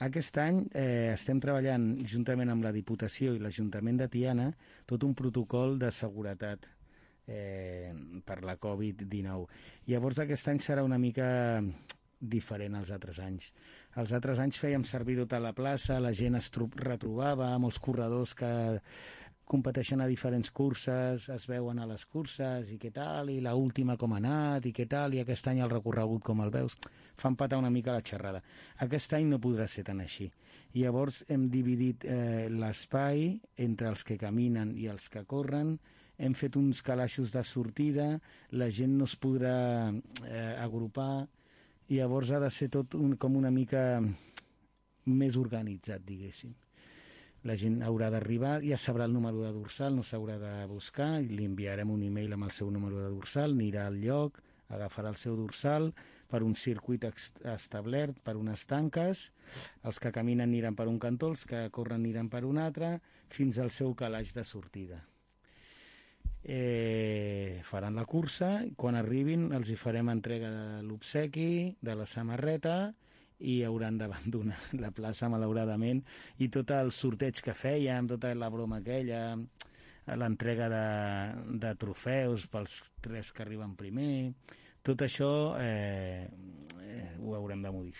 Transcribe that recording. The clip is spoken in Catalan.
Aquest any estem treballant juntament amb la Diputació i l'Ajuntament de Tiana tot un protocol de seguretat per la Covid-19. Llavors aquest any serà una mica diferent als altres anys. Els altres anys fèiem servir tota la plaça, la gent es retrobava, molts corredors que competeixen a diferents curses, es veuen a les curses i què tal, i la última com ha anat i què tal, i aquest any el recorregut com el veus, fa empatar una mica la xerrada. Aquest any no podrà ser tan així. I llavors hem dividit l'espai entre els que caminen i els que corren, hem fet uns calaixos de sortida, la gent no es podrà agrupar, i llavors ha de ser tot com una mica més organitzat, diguéssim. La gent haurà d'arribar, ja sabrà el número de dorsal, no s'haurà de buscar, li enviarem un email amb el seu número de dorsal, anirà al lloc, agafarà el seu dorsal per un circuit establert, per unes tanques, els que caminen aniran per un cantó, els que corren aniran per un altre, fins al seu calaix de sortida. Faran la cursa, quan arribin els hi farem entrega de l'obsequi, de la samarreta, i hauran d'abandonar la plaça, malauradament, i tot el sorteig que fèiem, tota la broma aquella, l'entrega de trofeus pels 3 que arriben primer, tot això ho haurem de modificar.